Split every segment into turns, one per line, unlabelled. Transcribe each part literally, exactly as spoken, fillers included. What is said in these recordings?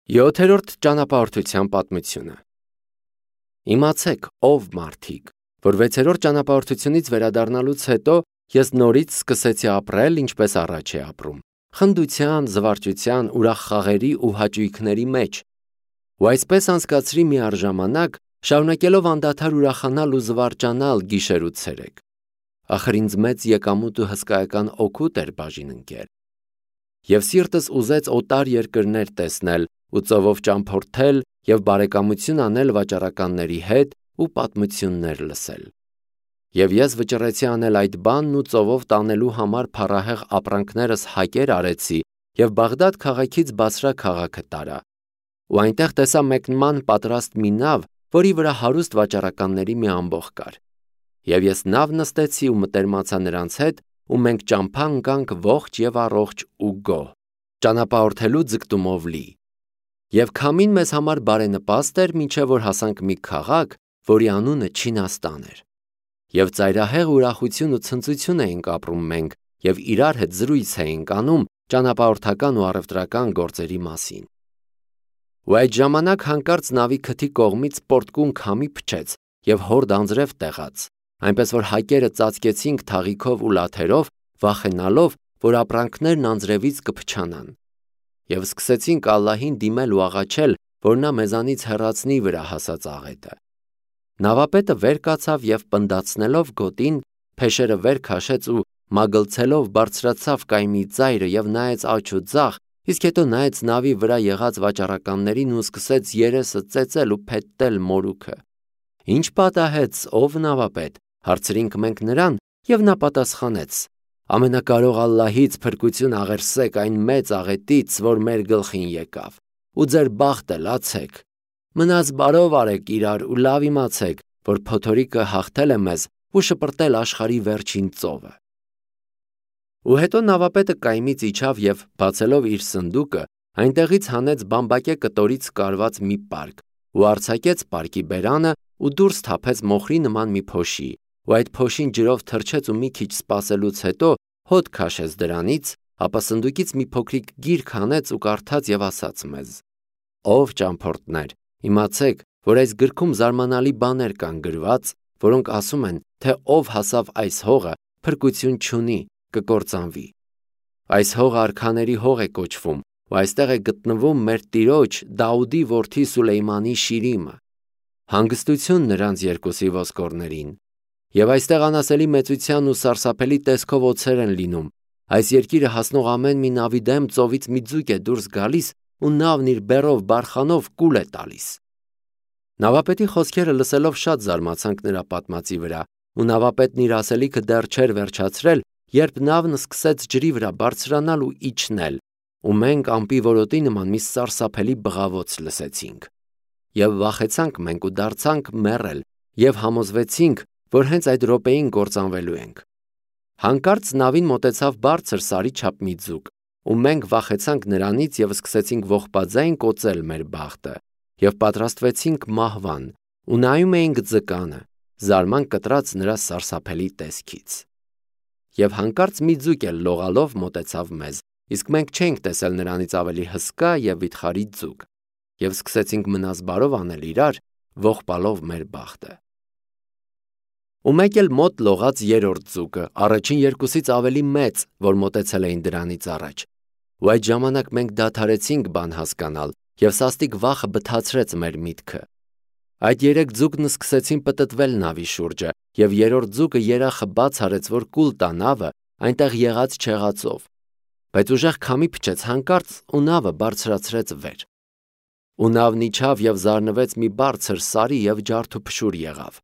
Յոթերորդ ճանապարհորդության պատմությունը։ Իմացեք, ով մարդիկ, որ վեցերորդ ճանապարհորդությունից վերադառնալուց հետո ես նորից սկսեցի ապրել, ինչպես առաջ էի ապրում, խնդության, զվարճության, ուրախ խաղերի ու հաճույքների մեջ։ Ու այսպես անցկացրի մի առժամանակ, շարունակելով անդադար ուրախանալ ու զվարճանալ գիշեր ու ցերեկ։ Ախր ինձ մեծ եկամուտ ու հսկայական օգուտ էր բաժին ընկել։ Եվ սիրտս ուզեց օտար երկրներ տեսնել ու ծովով ճամփորդել և բարեկամություն անել վաճառականների հետ ու պատմություններ լսել։ Եվ ես վճռեցի անել այդ բանն ու ծովով տանելու համար փառահեղ ապրանքներս հակեր արեցի և Բաղդադ քաղաքից Բասրա քաղաքը տարա։ Ու այնտեղ տեսա մեկնման պատրաստ մի նավ, որի վրա հարուստ վաճառականների մի ամբոխ կար։ Եվ ես նավ նստեցի ու մտերմացա նրանց հետ, ու մենք ճամփա ընկանք ողջ և առողջ ու գոհ, ճանապարհորդելու ձգտումով լի։ Եվ քամին մեզ համար բարենպաստ էր, մինչև որ հասանք մի քաղաք, որի անունը Չինաստան էր։ Եվ ծայրահեղ ուրախություն ու ցնծություն էինք ապրում մենք, և իրար հետ զրույց էինք անում ճանապարհորդական ու առևտրական գործերի մասին։ Ու այդ ժամանակ հանկարծ նավի քթի կողմից պոռթկուն քամի փչեց և հորդ անձրև տեղաց, այնպես որ հակերը ծածկեցինք թաղիքով ու լաթերով, վախենալով, որ ապրանքներն անձրևից կփչանան։ Եվ սկսեցինք Ալլահին դիմել ու աղաչել, որ նա մեզանից հեռացնի վրա հասած աղետը։ Նավապետը վեր կացավ և պնդացնելով գոտին, փեշերը վեր քաշեց ու մագլցելով բարձրացավ կայմի ծայրը և նայեց աջ ու ձախ, իսկ հետո նայեց նավի վրա եղած վաճառականներին ու սկսեց երեսը ծեծել ու փետտել մորուքը։ Ինչ պատահեց, ով նավապետ, հարցրինք մենք նրան, և նա պատասխանեց. ամենակարող Ալլահից փրկություն աղերսեք այն մեծ աղետից, որ մեր գլխին եկավ, ու ձեր բախտը լացեք։ Մնաց բարով արեք իրար ու լավ իմացեք, որ փոթորիկը հաղթել է մեզ ու շպրտել աշխարհի վերջին ծովը։ Ու հետո նավապետը կայմից իջավ և, բացելով իր սնդուկը, այնտեղից հանեց բամբակե կտորից կարված մի պարկ ու արձակեց պարկի բերանը ու դուրս թափեց մոխրի նման մի փոշի, ու այդ փոշին ջրով թրջեց ու մի քիչ սպասելուց հետո հոտ քաշեց դրանից, ապա սնդուկից մի փոքրիկ գիրք հանեց ու կարդաց և ասաց մեզ. «Ով ճամփորդներ, իմացեք, որ այս գրքում զարմանալի բաներ կան գրված, որոնք ասում են, թե ով հասավ այս հողը, փրկություն չունի, կկործանվի։ Այս հողը արքաների հող է կոչվում, ու այստեղ է գտնվում մեր տիրոջ Դաուդի որդի Սուլեյմանի շիրիմը։ Հանգստություն նրանց երկուսի ոսկորներին։ Եվ այստեղ անասելի մեծության ու սարսափելի տեսքով օձեր են լինում։ Այս երկիրը հասնող ամեն մի նավի դեմ ծովից մի ձուկ է դուրս գալիս, ու նավն իր բեռով բարխանով կուլ է տալիս»։ Նավապետի խոսքերը լսելով շատ զարմացանք նրա պատմածի վրա, ու նավապետն իր ասելիքը դեռ չէր վերջացրել, երբ նավն սկսեց ջրի վրա բարձրանալ ու իջնել, ու մենք ամպի որոտի նման մի սարսափելի բղավոց լսեցինք։ Եվ վախեցանք մենք ու դարձանք մեռել, և համոզվեցինք, որ հենց այդ րոպեին կործանվելու ենք։ Հանկարծ նավին մոտեցավ բարձր սարի չափ մի ձուկ, ու մենք վախեցանք նրանից և սկսեցինք ողբաձայն կոծել մեր բախտը, և պատրաստվեցինք մահվան, ու նայում էինք ձկանը, զարմանք կտրած նրա սարսափելի տեսքից։ Եվ հանկարծ մի ձուկ էլ լողալով մոտեցավ մեզ, իսկ մենք չէինք տեսել նրանից ավելի հսկա և վիթխարի ձուկ, և սկսեցինք մնաս բարով անել իրար, ողբալով մեր բախտը։ Ու մեկ էլ մոտ լողաց երրորդ ձուկը, առաջին երկուսից ավելի մեծ, որ մոտեցել էին դրանից առաջ։ Ու այդ ժամանակ մենք դադարեցինք բան հասկանալ, և սաստիկ վախը բթացրեց մեր միտքը։ Այդ երեք ձուկն սկսեցին պտտվել նավի շուրջը, և երրորդ ձուկը երախը բաց արեց, որ կուլ տա նավը այնտեղ եղած չեղածով։ Բայց ուժեղ քամի փչեց հանկարծ, ու նավը բարձրացրեց վեր։ Ու նավն իջավ և զարնվեց մի բարձր սարի և ջարդուփշուր եղավ։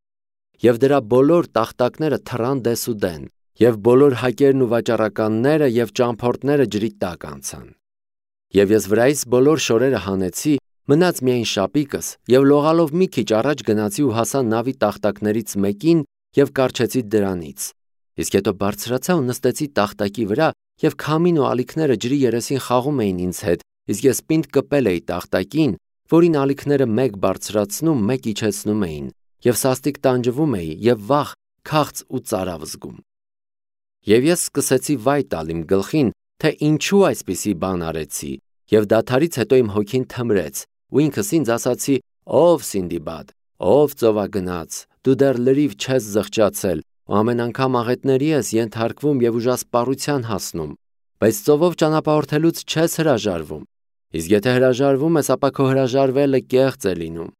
Եվ դրա բոլոր տախտակները թռան դեսուդեն, և բոլոր հակերն ու վաճառականները և ճամփորդները ջրի տակ անցան։ Եվ ես վրայից բոլոր շորերը հանեցի, մնաց միայն շապիկս, և լողալով մի քիչ առաջ գնացի ու հասա նավի տախտակներից մեկին և կառչեցի դրանից, իսկ հետո բարձրացա ու նստեցի տախտակի վրա, և քամին ու ալիքները ջրի երեսին խաղում էին ինձ հետ, իսկ ես պինդ կպել էի տախտակին, որին ալիքները մեկ բարձրացնում, մեկ իջեցնում էին, և սաստիկ տանջվում էի և վախ, քաղց ու ծարավ զգում։ Եվ ես սկսեցի վայ տալ իմ գլխին, թե ինչու այսպիսի բան արեցի, Եվ դադարից հետո իմ հոգին թմրեց, ու ինքս ինձ ասացի. «Ով Սինդիբադ, ով ծովագնաց, դու դեռ լրիվ չես զղջացել, ու ամեն անգամ աղետների ես ենթարկվում եւ ուժասպառության հասնում, բայց ծովով ճանապարհորդելուց չես հրաժարվում։ Իսկ եթե հրաժարվում ես, ապա քո հրաժարվելը կեղծ է լինում։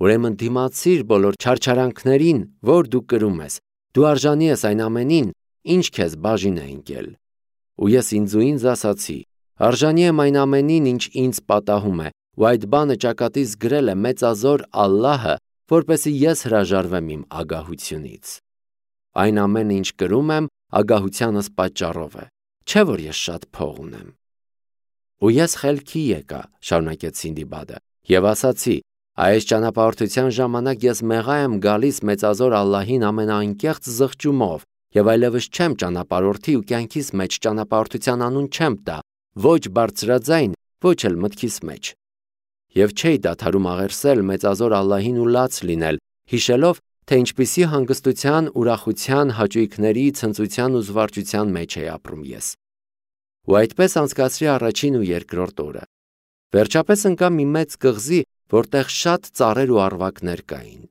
Ուրեմն դիմացիր բոլոր չարչարանքներին, որ դու կրում ես, դու արժանի ես այն ամենին, ինչ քեզ բաժին է ընկել»։ Ու ես ինձ ու ինձ ասացի. «Արժանի եմ այն ամենին, ինչ ինձ պատահում է, ու այդ բանը ճակատիս գրել է մեծազոր Ալլահը, որպեսզի ես հրաժարվեմ իմ ագահությունից։ Այն ամենը, ինչ կրում եմ, ագահությանս պատճառով է, չէ որ ես շատ փող ունեմ»։ Ու ես խելքի եկա, շարունակեց Սինդիբադը, եւ ասացի. «Այս ճանապարհորդության ժամանակ ես մեղա եմ գալիս մեծազոր Ալլահին ամենաանկեղծ զղջումով, եւ այլևս չեմ ճանապարհորդի ու կյանքիս մեջ ճանապարհորդության անուն չեմ տա, ոչ բարձրաձայն, ոչ էլ մտքիս մեջ։ Եվ չէի դադարում աղերսել մեծազոր Ալլահին ու լաց լինել, հիշելով, թե ինչպիսի հանգստության, ուրախության, հաճույքների, ցնծության ու զվարճության մեջ էի ապրում ես։ Ու այդպես անցկացրի առաջին ու երկրորդ օրը։ Վերջապես ընկա մի մեծ կղզի, որտեղ շատ ծառեր ու առվակներ կային։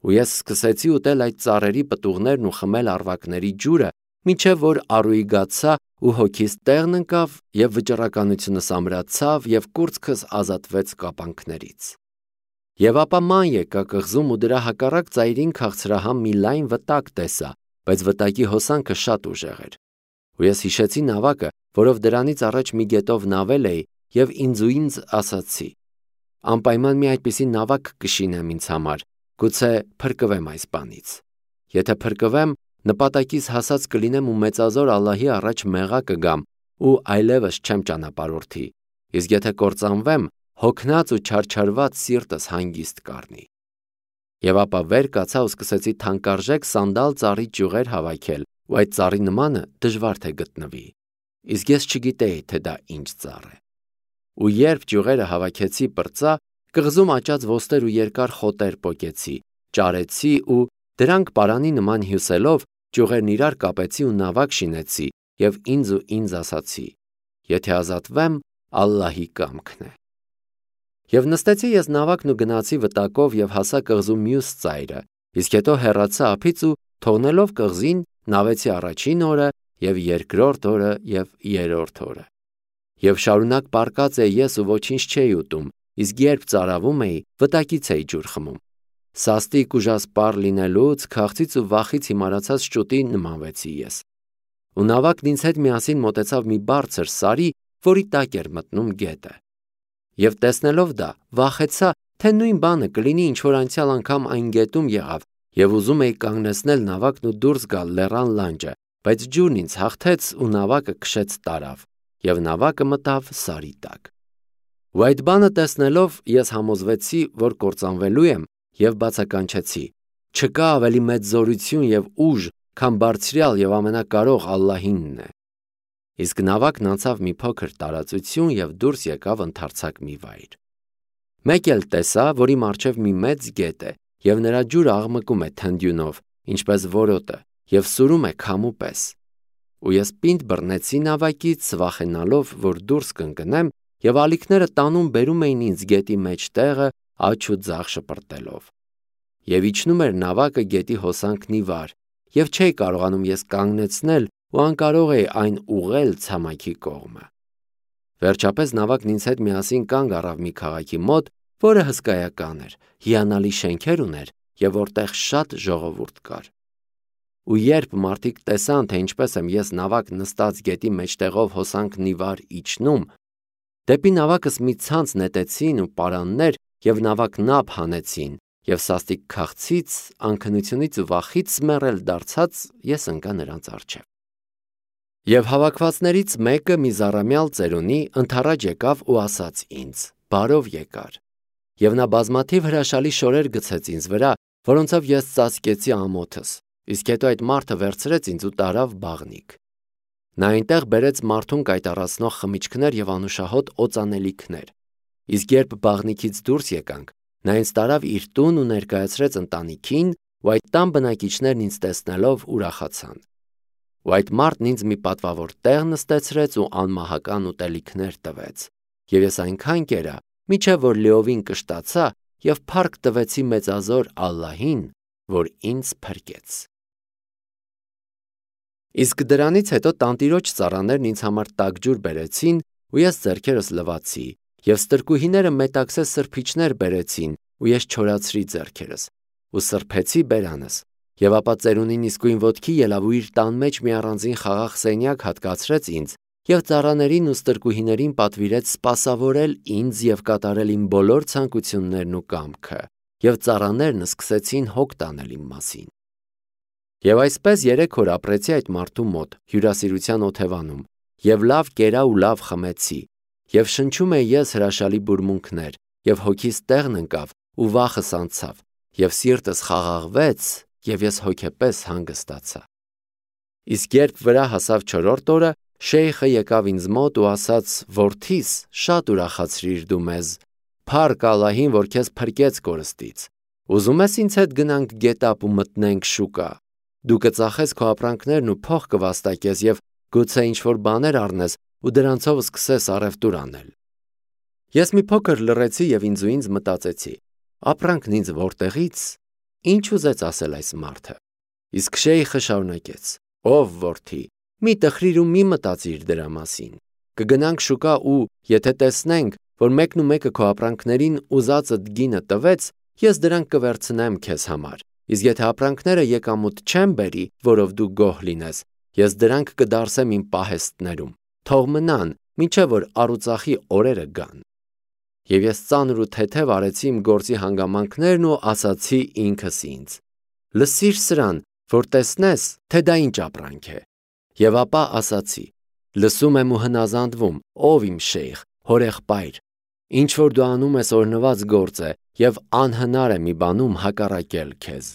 Ու ես սկսեցի ուտել այդ ծառերի պտուղներն ու խմել առվակների ջուրը, մինչև որ առուիգացա ու հոգիս տեղն ընկավ, եւ վճռականությունս ամրացավ, եւ կուրծքս ազատվեց կապանքներից։ Եվ ապա ման եկա կղզում ու դրա հակառակ ծայրին քաղցրահամ մի լայն վտակ տեսա, բայց վտակի հոսանքը շատ ուժեղ էր։ Ու ես հիշեցի նավակը, որով դրանից առաջ մի գետով նավել էի, եւ ինձ ու ինձ ասացի. «Անպայման մի այդպիսի նավակ կշինեմ ինձ համար, գուցե փրկվեմ այս բանից։ Եթե փրկվեմ, նպատակիս հասած կլինեմ ու մեծազոր Ալլահի առաջ մեղա կգամ ու այլևս չեմ ճանապարհորդի, իսկ եթե կործանվեմ, հոգնած ու չարչարված սիրտս հանգիստ կառնի»։ Եվ ապա վեր կացա ու սկսեցի թանկարժեք սանդալ ծառի ճյուղեր հավաքել, ու այդ ծառի նմանը դժվար թե գտնվի, իսկ ես չգիտեի, թե դա ինչ ծառ է։ Ու երբ ճյուղերը հավաքեցի պրծա, կղզում աճած ոստեր ու երկար խոտեր պոկեցի, ճարեցի ու դրանք պարանի նման հյուսելով ճյուղերն իրար կապեցի ու նավակ շինեցի եւ ինձ ու ինձ ասացի. «Եթե ազատվեմ, Ալլահի կամքն է»։ Եվ նստեցի ես նավակն ու գնացի վտակով եւ հասա կղզու մյուս ծայրը, իսկ հետո հեռացա ափից ու թողնելով կղզին նավեցի առաջին օրը եւ երկրորդ օրը եւ երրորդ օրը։ Եվ շարունակ պառկած էի ես ու ոչինչ չէի ուտում, իսկ երբ ծարավում էի, վտակից էի ջուր խմում։ Սաստիկ ուժասպառ լինելուց, քաղցից ու վախից հիմարացած շուտի նմանվեցի ես։ Ու նավակն ինձ հետ միասին մոտեցավ մի բարձր սարի, որի տակ էր մտնում գետը։ Եվ տեսնելով դա, վախեցա, թե նույն բանը կլինի, ինչ որ անցյալ անգամ այն գետում եղավ, եւ ուզում էի կանգնեցնել նավակն ու դուրս գալ լեռան լանջը, բայց ջուրն ինձ հաղթեց ու նավակը քշեց տարավ, եւ նավակը մտավ սարի տակ։ Ու այդ բանը տեսնելով ես համոզվեցի, որ կործանվելու եմ, եւ բացականչեցի. «Չկա ավելի մեծ զորություն եւ ուժ, քան բարձրյալ եւ ամենակարող Ալլահինն է»։ Իսկ նավակն անցավ մի փոքր տարածություն եւ դուրս եկավ ընդարձակ մի վայր։ Մեկ էլ տեսա, որի մառչև մի մեծ գետ է, եւ նրա ջուրը աղմկում է թնդյունով, ինչպես որոտը, եւ սուրում է քամու պես։ Ու ես պինդ բռնեցի նավակից, վախենալով, որ դուրս կընկնեմ, եւ ալիքները տանում բերում էին ինձ գետի մեջ տեղը, աջ ու ձախ շպրտելով։ Եվ իջնում էր նավակը գետի հոսանքն ի վար, եւ չէի կարողանում ես կանգնեցնել ու անկարող էի այն ուղղել ցամաքի կողմը։ Վերջապես նավակն ինձ հետ միասին կանգ առավ մի քաղաքի մոտ, որը հսկայական էր, հիանալի շենքեր ուներ եւ որտեղ շատ ժողովուրդ կար։ Ու երբ մարդիկ տեսան, թե ինչպես եմ ես նավակ նստած գետի մեջտեղով հոսանքն ի վար իջնում, դեպի նավակս մի ցանց նետեցին ու պարաններ եւ նավակն ափ հանեցին, եւ սաստիկ քաղցից, անքնությունից ու վախից մեռել դարձած ես ընկա նրանց առջև։ Եվ հավաքվածներից մեկը մի զառամյալ ծերունի ընդառաջ եկավ ու ասաց ինձ. «Բարով եկար»։ Եվ նա բազմաթիվ հրաշալի շորեր գցեց ինձ վրա, որոնցով ես ծածկեցի ամոթս, իսկ հետո այդ մարդը վերցրեց ինձ ու տարավ բաղնիք։ Նա այնտեղ բերեց մարդուն կայտառացնող խմիչքներ եւ անուշահոտ օծանելիքներ։ Իսկ երբ բաղնիքից դուրս եկանք, նա ինձ տարավ իր տուն ու ներկայացրեց ընտանիքին, ու այդ տան բնակիչներն ինձ տեսնելով ուրախացան։ Ու այդ մարդն ինձ մի պատվավոր տեղ նստեցրեց ու անմահական ուտելիքներ տվեց։ եւ ես այնքան կերա, միչեւ որ լիովին կշտացա եւ փառք տվեցի մեծազոր Ալլահին, որ ինձ փրկեց։ Իսկ դրանից հետո տանտիրոջ ծառաներն ինձ համար տաք ջուր բերեցին, ու ես ձեռքերս լվացի, եւ ստրկուհիները մետաքսե սրբիչներ բերեցին, ու ես չորացրի ձեռքերս, ու սրբեցի բերանս, եւ ապա ծերունին իսկույն ոտքի ելավ ու իր տան մեջ մի առանձին խաղաղ սենյակ հատկացրեց ինձ, եւ ծառաներին ու ստրկուհիներին պատվիրեց սպասավորել ինձ եւ կատարել իմ բոլոր ցանկություններն ու կամքը, եւ ծառաներն սկսեցին հոգ տանել իմ մասին։ Եվ այսպես երեք օր ապրեցի այդ մարդու մոտ հյուրասիրության օթևանում, եւ լավ կերա ու լավ խմեցի, եւ շնչում էի ես հրաշալի բուրմունքներ, եւ հոգիս տեղն ընկավ ու վախս անցավ, եւ սիրտս խաղաղվեց, եւ ես հոգեպես հանգստացա։ Իսկ երբ վրա հասավ չորրորդ օրը, Շեյխը եկավ ինձ մոտ ու ասաց. «Որդիս, շատ ուրախացրիր դու մեզ, փառք Ալլահին, որ քեզ փրկեց կորստից։ Ուզում ես ինձ հետ գնանք գետապ ու մտնենք շուկա։ Դու կծախես քո ապրանքներն ու փող կվաստակես եւ գուցե ինչ-որ բաներ առնես ու դրանցով սկսես առևտուր անել»։ Ես մի փոքր լռեցի եւ ինձ ու ինձ մտածեցի. ապրանքն ինձ որտեղից։ Ինչ ուզեց ասել այս մարդը։ Իսկ Շեյխը շարունակեց. «Ով որդի, մի տխրիր ու մի մտածիր դրա մասին։ Կգնանք շուկա ու եթե տեսնենք, որ մեկն ու մեկը քո ապրանքներին ուզածդ գինը տվեց, ես դրանք կվերցնեմ քեզ համար։ Իսկ եթե ապրանքները եկամուտ չեն բերի, որով դու գոհ լինես, ես դրանք կդարսեմ իմ պահեստներում։ Թող մնան, մինչև որ առուծախի օրերը գան»։ Եվ ես ծանր ու թեթև արեցի իմ գործի հանգամանքներն ու ասացի ինքս ինձ. «Լսիր սրան, որ տեսնես, թե դա ինչ ապրանք է»։ Եվ ապա ասացի. «Լսում եմ ու հնազանդվում, ով իմ շեյխ, հորեղբայր, ինչ որ դու անում ես օրհնված գործ է, եւ անհնար է մի բանում հակառակել քեզ»։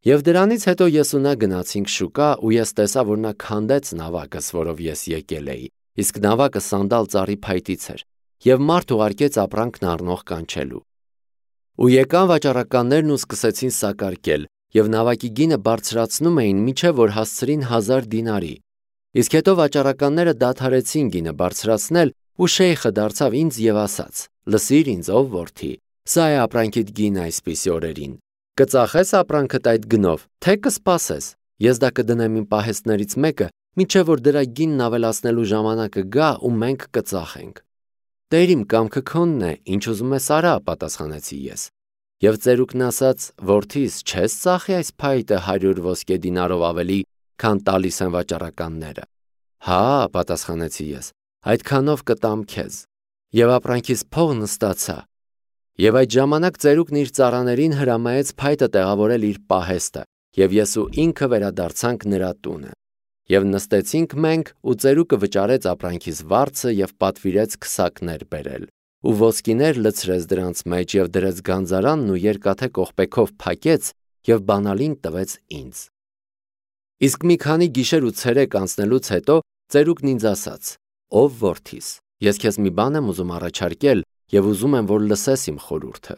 Եվ դրանից հետո ես ու նա գնացինք շուկա, ու ես տեսա, որ նա քանդեց նավակս, որով ես եկել էի, իսկ նավակը սանդալ ծառի փայտից էր, եւ մարդ ուղարկեց ապրանքն առնող կանչելու։ Ու եկան վաճառականներն ու սկսեցին սակարկել, եւ նավակի գինը բարձրացնում էին, մինչև որ հասցրին հազար դինարի։ Իսկ հետո վաճառականները դադարեցին գինը բարձրացնել, ու շեյխը դարձավ ինձ եւ ասաց. «Լսիր ինձ, ով որդի, սա է ապրանքիդ գինը այսպիսի օրերին։ Կծախես ապրանքդ այդ գնով, թե կսպասես։ Ես դա կդնեմ իմ պահեստներից մեկը, մինչև որ դրա գինն ավելացնելու ժամանակը գա ու մենք կծախենք»։ «Տեր իմ կամքը քոնն է, ինչ ուզում ես արա», պատասխանեցի ես։ Եվ ծերուկն ասաց. «Որդիս, չես ծախի այս փայտը հարյուր ոսկե դինարով ավելի, քան տալիս են վաճառականները»։ «Հա», պատասխանեցի ես, «այդքանով կտամ քեզ»։ Եվ ապրանքիս փողն ստացա։ Եվ այդ ժամանակ ծերուկն իր ծառաներին հրամայեց փայտը տեղավորել իր պահեստը, եւ ես ու ինքը վերադարձանք նրա տունը։ Եվ նստեցինք մենք, ու ծերուկը վճարեց ապրանքիս վարձը եւ պատվիրեց քսակներ բերել, ու ոսկիներ լցրեց դրանց մեջ եւ դրեց գանձարանն ու երկաթե կողպեքով փակեց եւ բանալին տվեց ինձ։ Իսկ մի քանի գիշեր ու ցերեկ անցնելուց հետո ծերուկն ինձ ասաց. «Ով որդիս, ես քեզ մի բան եմ ուզում առաջարկել եւ ուզում եմ, որ լսես իմ խորհուրդը»։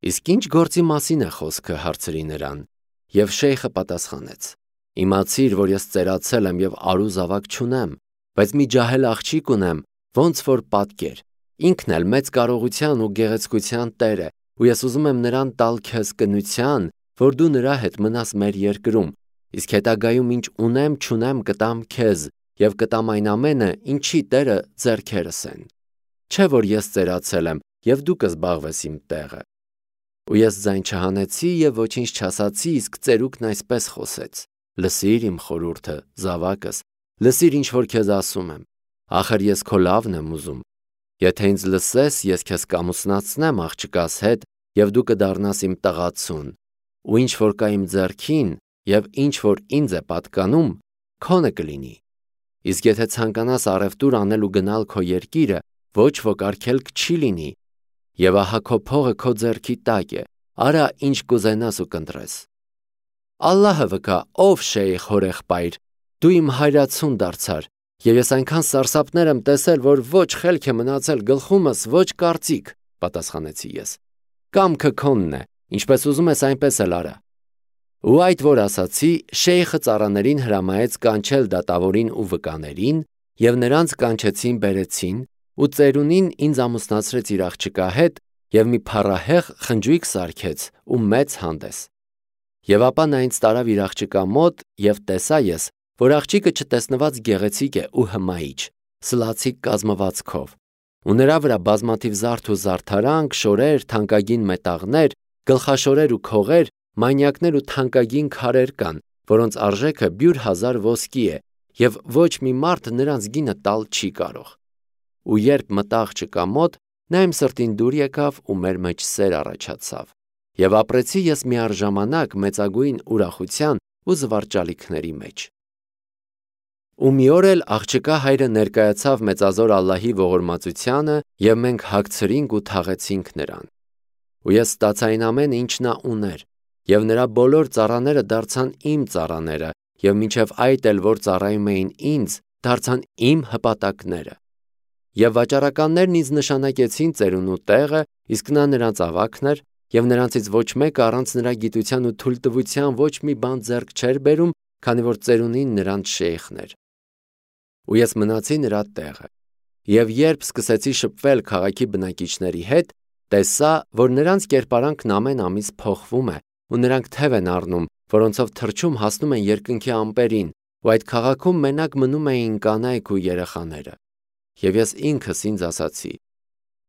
«Իսկ ինչ գործի մասին է խոսքը», հարցրի նրան։ Եվ շեյխը պատասխանեց. «Իմացիր, որ ես ծերացել եմ եւ արու զավակ չունեմ, բայց մի ջահել աղջիկ ունեմ, ոնց որ պատկեր։ Ինքն էլ մեծ կարողության ու գեղեցկության տեր է, ու ես ուզում եմ նրան տալ քեզ կնության, որ դու նրա հետ մնաս մեր երկրում, իսկ հետագայում ինչ ունեմ չունեմ կտամ քեզ եւ կտամ այն ամենը, ինչի տերը ձեռքերս են։ Չէ որ ես ծերացել եմ եւ դու կզբաղվես իմ տեղը»։ Ու ես ձայն չհանեցի եւ ոչինչ չասացի, իսկ ծերուկն այսպես խոսեց. «Լսիր իմ խորհուրդը, զավակս, լսիր ինչ որ քեզ ասում եմ։ Ախր ես քո լավն եմ ուզում։ Եթե ինձ լսես, ես քեզ կամուսնացնեմ աղջկաս հետ եւ դու կդառնաս իմ տղացուն, ու ինչ որ կա իմ ձեռքին եւ ինչ որ ինձ է պատկանում, քոնը կլինի։ Իսկ եթե ցանկանաս առևտուր անել ու գնալ քո երկիրը, ոչ ոք արգելք չի լինի։ Եվ ահա քո փողը քո ձեռքի տակ է, արա ինչ կուզենաս ու կընտրես»։ «Ալլահը վկա, ով շեյխ հորեղբայր, դու իմ հայրացուն դարձար, եւ ես այնքան սարսափներ եմ տեսել, որ ոչ խելք է մնացել գլխումս, ոչ կարծիք», պատասխանեցի ես։ «Կամքը քոնն է, ինչպես ուզում ես, այնպես էլ արա»։ Ու այդ որ ասացի, շեյխը ծառաներին հրամայեց կանչել դատավորին ու վկաներին, եւ նրանց կանչեցին բերեցին, ու ծերունին ինձ ամուսնացրեց իր աղջկա հետ և մի փառահեղ խնջույք սարքեց ու մեծ հանդես։ Եվ ապա նա ինձ տարավ իր աղջկա մոտ, և տեսա ես, որ աղջիկը չտեսնված գեղեցիկ է ու հմայիչ, սլացիկ կազմվածքով, ու նրա վրա բազմաթիվ զարդ ու զարդարանք, շորեր, թանկագին մետաղներ, գլխաշորեր ու քողեր, մանյակներ ու թանկագին քարեր կան, որոնց արժեքը բյուր հազար ոսկի է, և ոչ մի մարդ նրանց գինը տալ չի կարող։ Ու երբ մտա աղջկա մոտ, նա իմ սրտին դուր եկավ ու մեր մեջ սեր առաջացավ, և ապրեցի ես միառժամանակ մեծագույն ուրախության ու զվարճալիքների մեջ։ Ու մի օր էլ աղջկա հայրը ներկայացավ մեծազոր Ալլահի ողորմածությանը, և մենք հագցրինք ու թաղեցինք նրան։ Ու ես ստացա այն ամենը, ինչ նա ուներ, և նրա բոլոր ծառաները դարձան իմ ծառաները, և մինչև այդ էլ, որ ծառայում էին ինձ, դարձան իմ հպատակները։ Եվ վաճառականներն ինձ նշանակեցին ծերունու տեղը, իսկ նա նրանց ավագն էր, և նրանցից ոչ մեկը առանց նրա գիտության ու թույլտվության ոչ մի բան ձեռք չէր բերում, քանի որ ծերունին նրանց շեյխն էր։ Ու ես մնացի նրա տեղը։ Եվ երբ սկսեցի շփվել քաղաքի բնակիչների հետ, տեսա, որ նրանց կերպարանքն ամեն ամիս փոխվում է, ու նրանք թև են առնում, որոնցով թռչում հասնում են երկնքի ամպերին, ու այդ քաղաքում մենակ մնում էին կանայք ու երեխաները։ Եվ ես ինքս ինձ ասացի.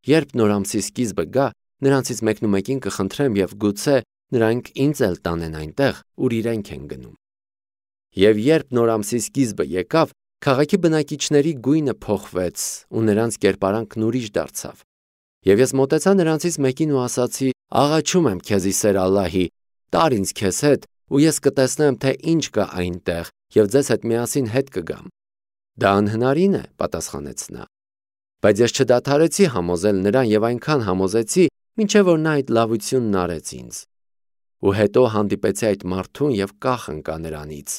երբ նոր ամսի սկիզբը գա, նրանցից մեկնումեկին կխնդրեմ, և գուցե նրանք ինձ էլ տանեն այնտեղ, ուր իրենք են գնում։ Եվ երբ նոր ամսի սկիզբը եկավ, քաղաքի բնակիչների գույնը փոխվեց, ու նրանց կերպարանքն ուրիշ դարձավ։ Եվ ես մոտեցա նրանցից մեկին ու ասացի. աղաչում եմ քեզ ի սեր Ալլահի, տար ինձ քեզ հետ, ու ես կտեսնեմ, թե ինչ կա այնտեղ, և ձեզ հետ միասին հետ կգամ։ Դա անհնարին է, պատասխանեց նա։ Բայց ես չդադարեցի համոզել նրան և այնքան համոզեցի, մինչև որ նա այդ լավությունն արեց ինձ։ Ու հետո հանդիպեցի այդ մարդուն և կախ ընկա նրանից,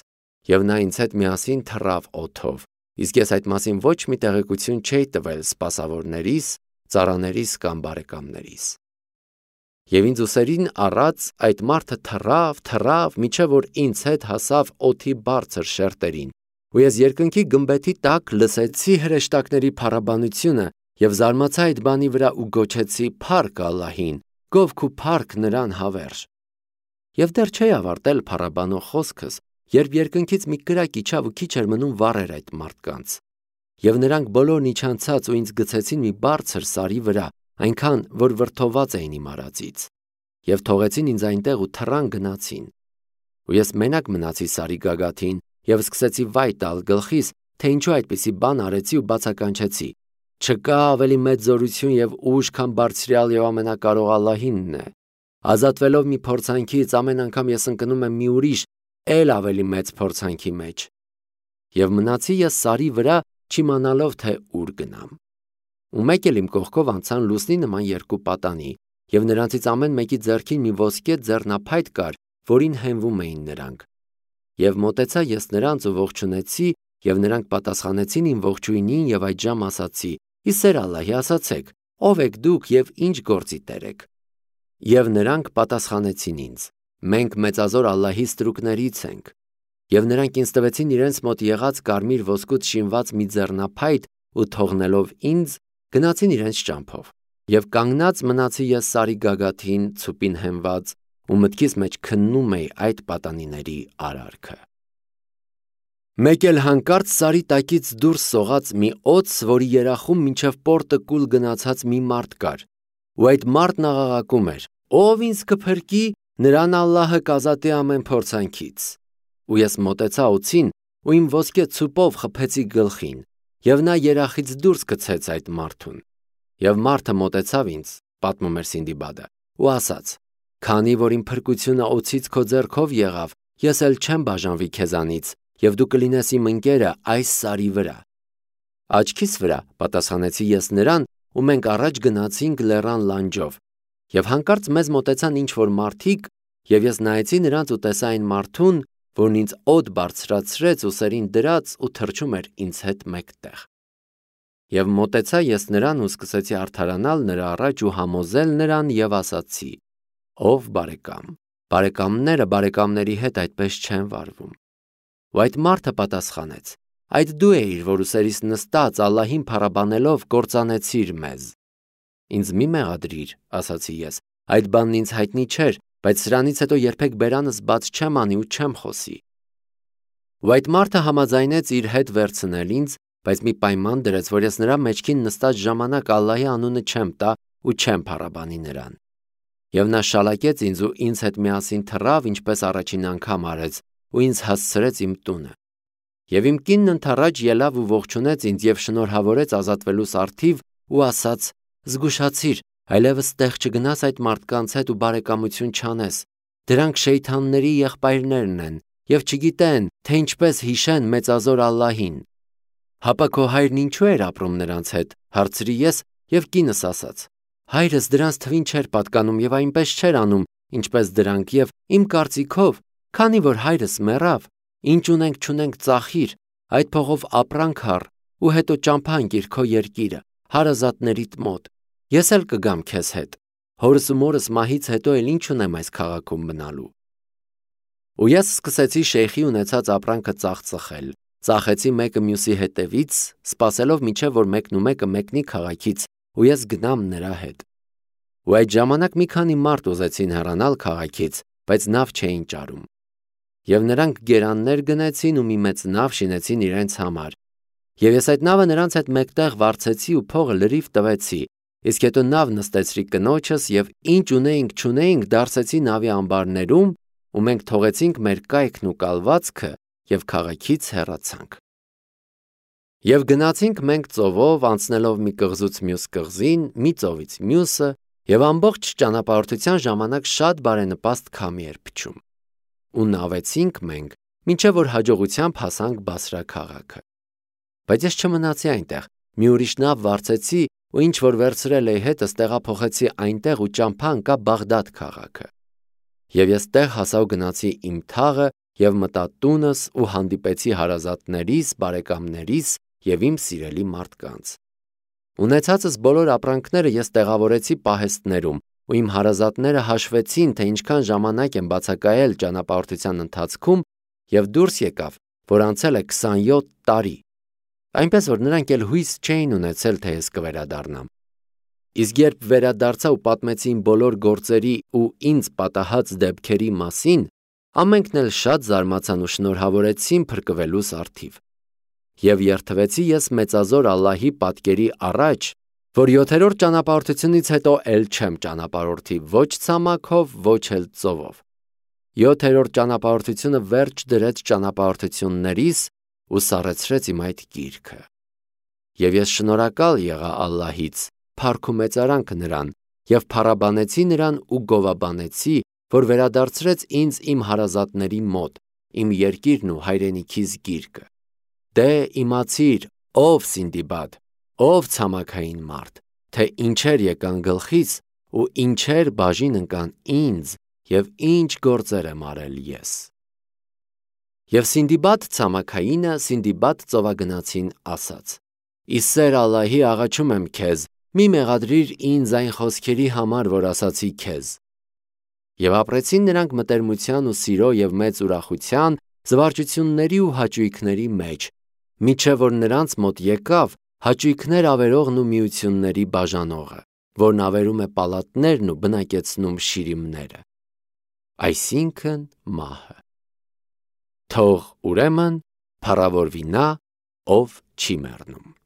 և նա ինձ հետ միասին թռավ օդով, իսկ ես այդ մասին ոչ մի տեղեկություն չէի տվել սպասավորներիս, ծառաներիս կամ բարեկամներիս։ Եվ ինձ ուսերին առած այդ մարդը թռավ, թռավ, մինչև որ ինձ հետ հասավ օդի բարձր շերտերին, ու ես երկնքի գմբեթի տակ լսեցի հրեշտակների փառաբանությունը և զարմացա այդ բանի վրա ու գոչեցի. «Փա՜ռք Ալլահին, գովք ու փառք նրան հավերժ»։ Եվ դեռ չէի ավարտել փառաբանող խոսքս, երբ երկնքից մի կրակ իջավ ու քիչ էր մնում վառեր այդ մարդկանց։ Եվ նրանք բոլորն իջանցած ու ինձ գցեցին մի բարձր սարի վրա, այնքան, որ վրդովված էին իմ արածից, և թողեցին ինձ այնտեղ ու թռան գնացին։ Ու ես մենակ մնացի սարի գագաթին և սկսեցի վայ տալ գլխիս, թե ինչու այդպիսի բան արեցի ու բացականչեցի. չկա ավելի մեծ զորություն և ուժ, քան բարձրյալ և ամենակարող Ալլահինն է։ Ազատվելով մի փորձանքից, ամեն անգամ ես ընկնում եմ մի ուրիշ, էլ ավելի մեծ փորձանքի մեջ։ Եվ մնացի ես սարի վրա, չիմանալով, թե ուր գնամ։ Ու մեկ էլ իմ կողքով անցան լուսնի նման երկու պատանի, և նրանցից ամեն մեկի ձեռքին մի ոսկե ձեռնափայտ կար, որին հենվում էին նրանք։ Եվ մոտեցա ես նրանց ու ողջունեցի, և նրանք պատասխանեցին իմ ողջույնին, և այդժամ ասացի. ի սեր Ալլահի, ասացեք, ո՞վ եք դուք և ինչ գործի տեր եք։ Եվ նրանք պատասխանեցին ինձ. մենք մեծազոր Ալլահի ստրուկներից ենք։ Եվ նրանք ինձ տվեցին իրենց մոտ եղած կարմիր ոսկուց շինված մի ձեռնափայտ ու թողնելով ինձ, գնացին իրենց ճամփով։ Եվ կանգնած մնացի ես սարի գագաթին, ցուպին հենված, ու մտքիս մեջ քննում էի այդ պատանիների արարքը։ Մեկ էլ հանկարծ սարի տակից դուրս սողաց մի օձ, որի երախում մինչև պորտը կուլ գնացած մի մարդ կար, ու այդ մարդն աղաղակում էր. «Ով ինձ կփրկի, նրան Ալլահը կազատի ամեն փորձանքից»։ Ու ես մոտեցա օձին ու իմ ոսկե ցուպով խփեցի գլխին, և նա երախից դուրս գցեց այդ մարդուն։ Եվ մարդը մոտեցավ ինձ, պատմում էր Սինդիբադը, ու ասաց. «Քանի որ իմ փրկությունը օձից քո ձեռքով եղավ, ես էլ չեմ բաժանվի քեզանից, և դու կլինես իմ ընկերը այս սարի վրա»։ Աչքիս վրա, պատասխանեցի ես նրան, ու մենք առաջ գնացինք լեռան լանջով։ Եվ հանկարծ մեզ մոտեցան ինչ-որ մարդիկ, և ես նայեցի նրանց ու տեսա այն մարդուն, որն ինձ օդ բարձրացրեց, ուսերին դրած ու թռչում էր ինձ հետ մեկտեղ։ Եվ մոտեցա ես նրան ու սկսեցի արդարանալ նրա առաջ ու համոզել նրան և ասացի. «Ով բարեկամ, բարեկամները բարեկամների հետ այդպես չեն վարվում»։ Ու այդ մարդը պատասխանեց. այդ դու էիր, որ ուսերիս նստած Ալլահին փառաբանելով կործանեցիր մեզ։ Ինձ մի մեղադրիր, ասացի ես, այդ բանն ինձ հայտնի չէր, բայց սրանից հետո երբեք բերանս բաց չեմ անի ու չեմ խոսի։ Ու այդ մարդը համաձայնեց իր հետ վերցնել ինձ, բայց մի պայման դրեց, որ ես նրա մեջքին նստած ժամանակ Ալլահի անունը չեմ տա ու չեմ փառաբանի նրան։ Եվ նա շալակեց ինձ ու ինձ հետ միասին թռավ, ինչպես առաջին անգամ արեց, ու ինձ հասցրեց իմ տունը։ Եվ իմ կինն ընդառաջ ելավ ու ողջունեց ինձ եւ շնորհավորեց ազատվելուս արդիվ ու ասաց. «Զգուշացիր, այլևս տեղ չգնաս այդ մարդկանց հետ ու բարեկամություն չանես։ Դրանք շեյթանների եղբայրներն են եւ չգիտեն, թե ինչպես հիշեն մեծազոր Ալլահին»։ Հապա քո հայրն ինչու էր ապրում նրանց հետ, հարցրի ես, եւ կինս ասաց. «Հայրս դրանց թվին չէր պատկանում եւ այնպես չէր անում, ինչպես դրանք, եւ իմ կարծիքով, քանի որ հայրս մեռավ, ինչ ունենք չունենք ծախիր, այդ փողով ապրանք առ ու հետո ճամփա ընկիր քո երկիրը, հարազատներիդ մոտ։ Ես էլ կգամ քեզ հետ։ Հորս ու մորս մահից հետո էլ ինչ ունեմ այս քաղաքում մնալու»։ Ու ես սկսեցի շեյխի ունեցած ապրանքը ծախծխել, ծախեցի մեկը մյուսի հետևից, սպասելով մինչև որ մեկն ու մեկը մեկնի քաղաքից, ու ես գնամ նրա հետ։ Ու այդ ժամանակ մի քանի մարդ ուզեցին հեռանալ քաղաքից, բայց նավ չէին ճարում։ Եվ նրանք գերաններ գնեցին ու մի մեծ նավ շինեցին իրենց համար։ Եվ ես այդ նավը նրանց հետ մեկտեղ վարձեցի ու փողը լրիվ տվեցի, իսկ հետո նավ նստեցրի կնոջս եւ ինչ ունեինք չունեինք դարսեցի նավի ամբարներում ու մենք թողեցինք մեր կայքն ու կալվածքը եւ քաղաքից հեռացանք։ Եվ գնացինք մենք ծովով, անցնելով մի կղզուց մյուս կղզին, մի ծովից մյուսը, եւ ամբողջ ճանապարհորդության ժամանակ շատ բարենպաստ քամի էր փչում։ Ու նավեցինք մենք, մինչև որ հաջողությամբ հասանք Բասրա քաղաքը։ Բայց ես չմնացի այնտեղ, մի ուրիշ նավ վարձեցի ու ինչ որ վերցրել էի հետս տեղափոխեցի այնտեղ ու ճամփա ընկա Բաղդադ քաղաքը։ Եվ ես տեղ հասա ու գնացի իմ թաղը եւ մտա տունս ու հանդիպեցի հարազատներիս, բարեկամներիս եւ իմ սիրելի մարդկանց։ Ունեցածս բոլոր ապրանքները ես տեղավորեցի պահեստներում, ու իմ հարազատները հաշվեցին, թե ինչքան ժամանակ եմ բացակայել ճանապարհորդության ընթացքում, եւ դուրս եկավ, որ անցել է քսանյոթ տարի, այնպես որ նրանք էլ հույս չէին ունեցել, թե ես կվերադառնամ։ Իսկ երբ վերադարձա ու պատմեցի իմ բոլոր գործերի ու ինձ պատահած դեպքերի մասին, ամենքն էլ շատ զարմացան ու շնորհավորեցին փրկվելուս արդիվ։ Եվ երթվեցի ես մեծազոր Ալլահի պատկերի առաջ, որ յոթերորդ ճանապարհորդությունից հետո էլ չեմ ճանապարհորդի ոչ ցամաքով, ոչ էլ ծովով։ Յոթերորդ ճանապարհորդությունը վերջ դրեց ճանապարհորդություններիս ու սառեցրեց իմ այդ գիրքը։ Եվ ես շնորհակալ եղա Ալլահից, փառք ու մեծարանք նրան, եւ փառաբանեցի նրան ու գովաբանեցի, որ վերադարձրեց ինձ իմ հարազատների մոտ, իմ երկիրն ու հայրենիքիս գիրկը։ Դե իմացիր, ով Սինդիբադ, ով ցամաքային մարդ, թե ինչեր եկան գլխից ու ինչեր բաժին ընկան ինձ եւ ինչ գործեր եմ արել ես։ Եվ Սինդիբադ ցամաքայինը Սինդիբադ ծովագնացին ասաց. «Իսեր Ալլահի աղաչում եմ քեզ, մի մեղադրիր ինձ այն խոսքերի համար, որ ասացի քեզ»։ Եվ ապրեցին նրանք մտերմության ու սիրո եւ մեծ ուրախության, զվարճությունների ու հաճույքների մեջ, մինչև որ նրանց մոտ եկավ հաճույքներ ավերողն ու միությունների բաժանողը, որն ավերում է պալատներն ու բնակեցնում շիրիմները, այսինքն մահը։ Թող ուրեմն փառավորվի նա, ով չի մեռնում։